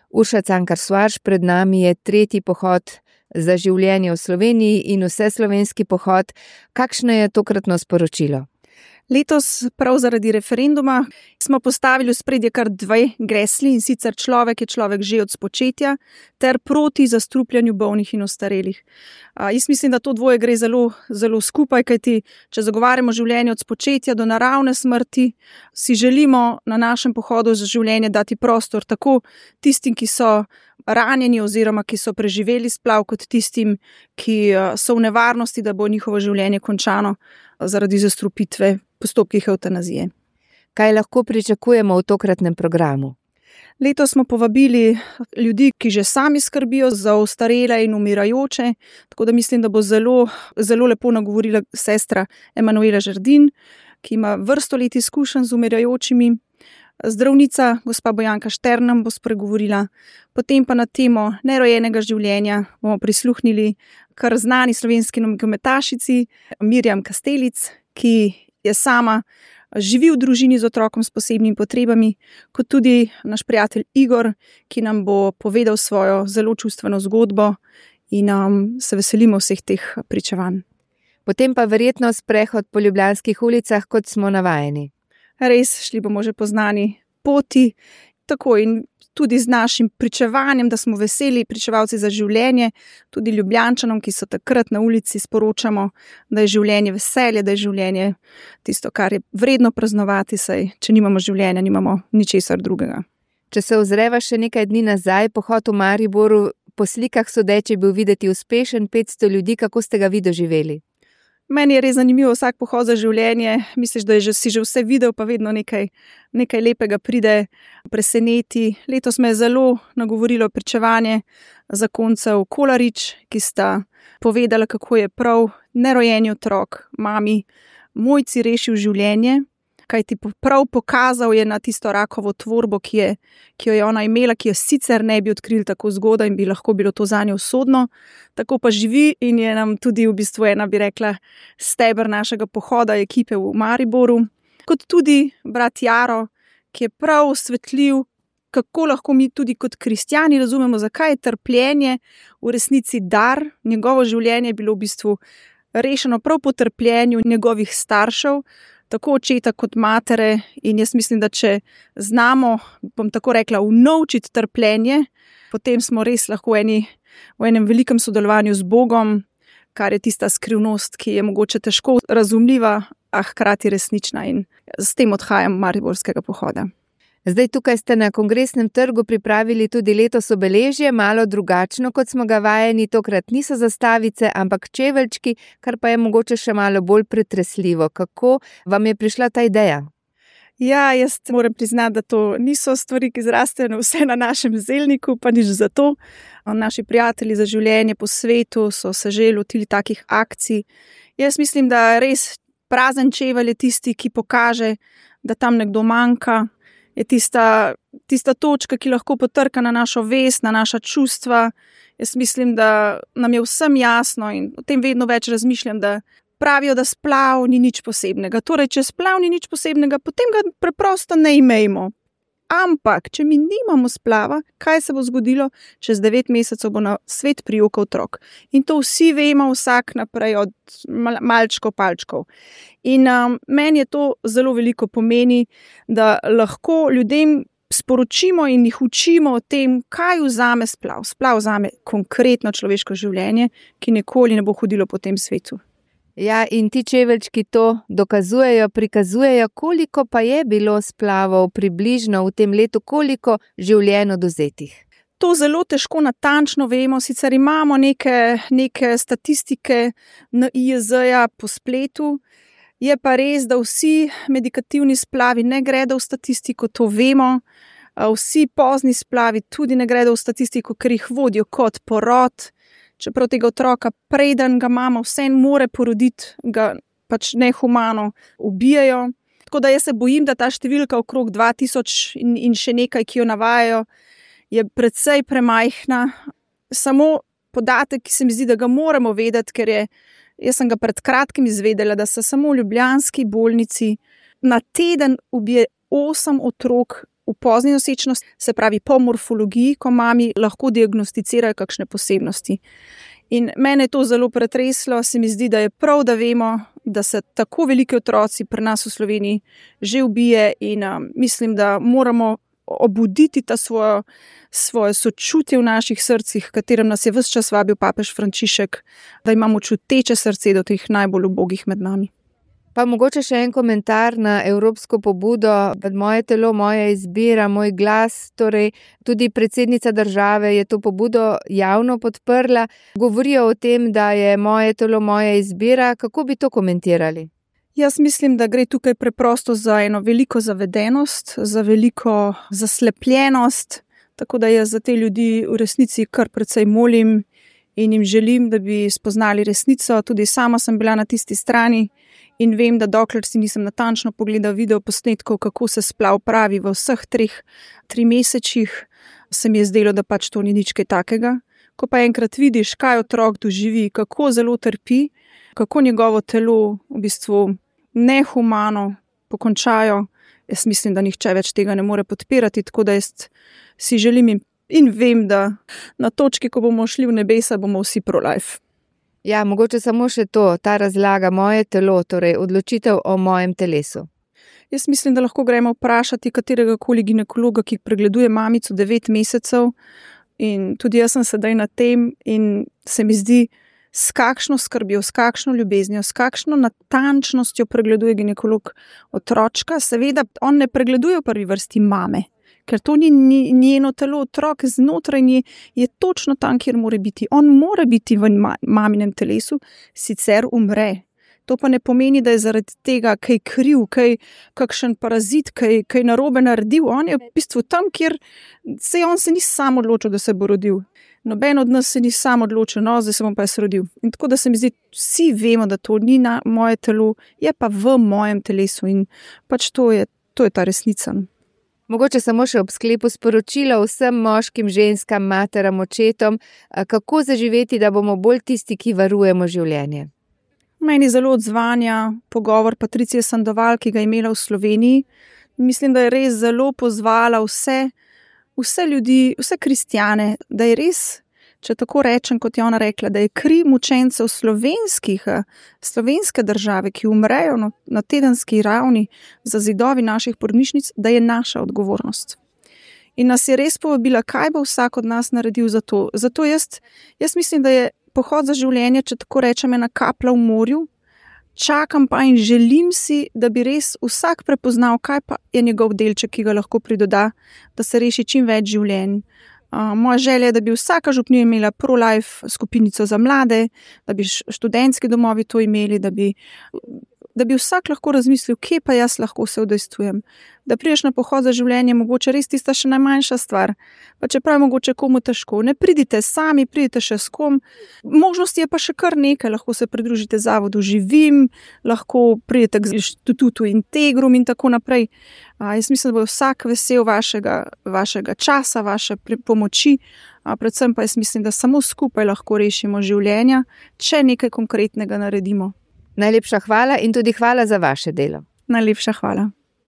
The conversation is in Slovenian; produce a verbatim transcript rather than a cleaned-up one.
Urša Cankar-Švarc, pred nami je tretji pohod za življenje v Sloveniji in vseslovenski pohod. Kakšno je tokratno sporočilo? Letos, prav zaradi referenduma, smo postavili v spredje kar dve gesli, in sicer človek je človek že od spočetja ter proti zastrupljanju bolnih in ostarelih. A, jaz mislim, da to dvoje gre zelo, zelo skupaj, kajti če zagovarjamo življenje od spočetja do naravne smrti, si želimo na našem pohodu za življenje dati prostor tako tistim, ki so ranjeni oziroma ki so preživeli splav, kot tistim, ki so v nevarnosti, da bo njihovo življenje končano zaradi zastrupitve postopkih evtanazije. Kaj lahko pričakujemo v tokratnem programu? Letos smo povabili ljudi, ki že sami skrbijo za ostarele in umirajoče, tako da mislim, da bo zelo, zelo lepo nagovorila sestra Emanuela Žerdin, ki ima vrsto let izkušenj z umirajočimi. Zdravnica gospa Bojanka Štern bo spregovorila, potem pa na temo nerojenega življenja bomo prisluhnili kar znani slovenski nogometašici Mirjam Kastelic, ki je sama živi v družini z otrokom s posebnimi potrebami, kot tudi naš prijatelj Igor, ki nam bo povedal svojo zelo čustveno zgodbo in um, se veselimo vseh teh pričevanj. Potem pa verjetno sprehod po ljubljanskih ulicah, kot smo navajeni. Res, šli bomo že po znani poti, tako in tudi z našim pričevanjem, da smo veseli pričevalci za življenje, tudi Ljubljančanom, ki so takrat na ulici, sporočamo, da je življenje veselje, da je življenje tisto, kar je vredno praznovati, saj če nimamo življenja, nimamo ničesar drugega. Če se ozreva še nekaj dni nazaj, pohod v Mariboru, po slikah sodeč je bil videti uspešen, petsto ljudi, kako ste ga vi doživeli? Meni je res zanimivo vsak pohod za življenje, misliš, da je že, si že vse videl, pa vedno nekaj, nekaj lepega pride preseneti. Letos me je zelo nagovorilo pričevanje zakoncev Kolarič, ki sta povedala, kako je prav nerojeni otrok mami Mojci rešil življenje, kajti prav pokazal je na tisto rakovo tvorbo, ki, je, ki jo je ona imela, ki jo sicer ne bi odkrili tako zgodaj in bi lahko bilo to zanjo usodno. Tako pa živi in je nam tudi v bistvu ena, bi rekla, steber našega pohoda ekipe v Mariboru. Kot tudi brat Jaro, ki je prav osvetljiv, kako lahko mi tudi kot kristjani razumemo, zakaj je trpljenje v resnici dar. Njegovo življenje je bilo v bistvu rešeno prav po trpljenju njegovih staršev, tako očeta kot matere, in jaz mislim, da če znamo, bom tako rekla, unovčiti trpljenje, potem smo res lahko eni, v enem velikem sodelovanju z Bogom, kar je tista skrivnost, ki je mogoče težko razumljiva, a hkrati resnična, in s tem odhajam mariborskega pohoda. Zdaj tukaj ste na Kongresnem trgu pripravili tudi letos obeležje, malo drugačno, kot smo ga vajeni, tokrat niso zastavice, ampak čeveljčki, kar pa je mogoče še malo bolj pretresljivo. Kako vam je prišla ta ideja? Ja, jaz moram priznati, da to niso stvari, ki zrastejo vse na našem zelniku, pa nič za to. Naši prijatelji za življenje po svetu so se že lotili takih akcij. Jaz mislim, da res prazen čevelj je tisti, ki pokaže, da tam nekdo manjka, je tista, tista točka, ki lahko potrka na našo vest, na naša čustva. Jaz mislim, da nam je vsem jasno in o tem vedno več razmišljam, da pravijo, da splav ni nič posebnega. Torej, če splav ni nič posebnega, potem ga preprosto ne imejmo. Ampak, če mi nimamo splava, kaj se bo zgodilo? Čez devet mesecev bo na svet prijokal otrok. In to vsi vemo, vsak naprej od malčkov, palčkov. In um, meni je to zelo veliko pomeni, da lahko ljudem sporočimo in jih učimo o tem, kaj vzame splav. Splav vzame konkretno človeško življenje, ki nikoli ne bo hodilo po tem svetu. Ja, in ti čeveljčki to dokazujejo, prikazujejo, koliko pa je bilo splavov približno v tem letu, koliko življenj oduzetih. To zelo težko natančno vemo, sicer imamo neke, neke statistike N I J Z-ja po spletu, je pa res, da vsi medikativni splavi ne gredo v statistiko, to vemo, vsi pozni splavi tudi ne gredo v statistiko, ker jih vodijo kot porod. Čeprav tega otroka, preden ga mama vse more poroditi, ga pač nehumano ubijajo. Tako da jaz se bojim, da ta številka okrog dva tisoč in, in še nekaj, ki jo navajajo, je precej premajhna. Samo podatek, ki se mi zdi, da ga moramo vedeti, ker je, jaz sem ga pred kratkim izvedela, da se samo v ljubljanski bolnici na teden ubije osem otrok v pozni nosečnosti, se pravi po morfologiji, ko mami lahko diagnosticirajo kakšne posebnosti. In mene je to zelo pretreslo, se mi zdi, da je prav, da vemo, da se tako veliki otroci pri nas v Sloveniji že ubije in um, mislim, da moramo obuditi ta svojo, svoje sočutje v naših srcih, katerem nas je ves čas vabil papež Frančišek, da imamo čuteče srce do teh najbolj ubogih med nami. Pa mogoče še en komentar na evropsko pobudo, moje telo, moja izbira, moj glas, torej tudi predsednica države je to pobudo javno podprla. Govorijo o tem, da je moje telo, moja izbira. Kako bi to komentirali? Jaz mislim, da gre tukaj preprosto za eno veliko zavedenost, za veliko zaslepljenost, tako da jaz za te ljudi v resnici kar precej molim in jim želim, da bi spoznali resnico. Tudi sama sem bila na tisti strani in vem, da dokler si nisem natančno pogledal video posnetkov, kako se splav pravi v vseh treh tri mesečih, se mi je zdelo, da pač to ni nič kaj takega. Ko pa enkrat vidiš, kaj otrok doživi, kako zelo trpi, kako njegovo telo v bistvu nehumano pokončajo, jaz mislim, da nihče več tega ne more podpirati, tako da jaz si želim in, in vem, da na točki, ko bomo šli v nebesa, bomo vsi pro-life. Ja, mogoče samo še to, ta razlaga moje telo, torej odločitev o mojem telesu. Jaz mislim, da lahko gremo vprašati katerega koli ginekologa, ki pregleduje mamico devet mesecev in tudi jaz sem sedaj na tem in se mi zdi, s kakšno skrbjo, s kakšno ljubeznijo, s kakšno natančnostjo pregleduje ginekolog otročka. Seveda, on ne pregleduje v prvi vrsti mame, ker to ni njeno telo, otrok znotraj nje je točno tam, kjer mora biti. On mora biti v maminem telesu, sicer umre. To pa ne pomeni, da je zaradi tega kaj kriv, kaj kakšen parazit, kaj, kaj narobe naredil. On je v bistvu tam, kjer se on se ni sam odločil, da se bo rodil. Noben od nas se ni sam odločil, no, zdaj se bom pa jaz rodil. In tako da se mi zdi, vsi vemo, da to ni na moje telo, je pa v mojem telesu in pač to je, to je ta resnica. Mogoče samo še ob sklepu sporočilo vsem moškim, ženskam, materam, očetom, kako zaživeti, da bomo bolj tisti, ki varujemo življenje. Meni zelo odzvanja pogovor Patricije Sandoval, ki ga je imela v Sloveniji. Mislim, da je res zelo pozvala vse, vse ljudi, vse kristjane, da je res, če tako rečem, kot je ona rekla, da je kri mučencev slovenskih, slovenske države, ki umrejo na, na tedenski ravni za zidovi naših porodnišnic, da je naša odgovornost. In nas je res povabila, kaj bo vsak od nas naredil za to. Zato jaz, jaz mislim, da je pohod za življenje, če tako rečem, ena kaplja v morju, čakam pa in želim si, da bi res vsak prepoznal, kaj pa je njegov delček, ki ga lahko pridoda, da se reši čim več življenj. Uh, moja želja je, da bi vsaka župnija imela pro-life skupinico za mlade, da bi študentski domovi to imeli, da bi, da bi vsak lahko razmislil, kje pa jaz lahko se udejstvujem. Da prideš na pohod za življenje, mogoče res tista še najmanjša stvar, pa čeprav je mogoče komu težko. Ne pridite sami, pridite še s kom. Možnosti je pa še kar nekaj, lahko se pridružite zavodu Živim, lahko pridete k inštitutu Integrum in tako naprej. A, jaz mislim, da bo vsak vesel vašega, vašega časa, vaše pomoči, a predvsem pa jaz mislim, da samo skupaj lahko rešimo življenja, če nekaj konkretnega naredimo. Najlepša hvala in tudi hvala za vaše delo. Najlepša hvala.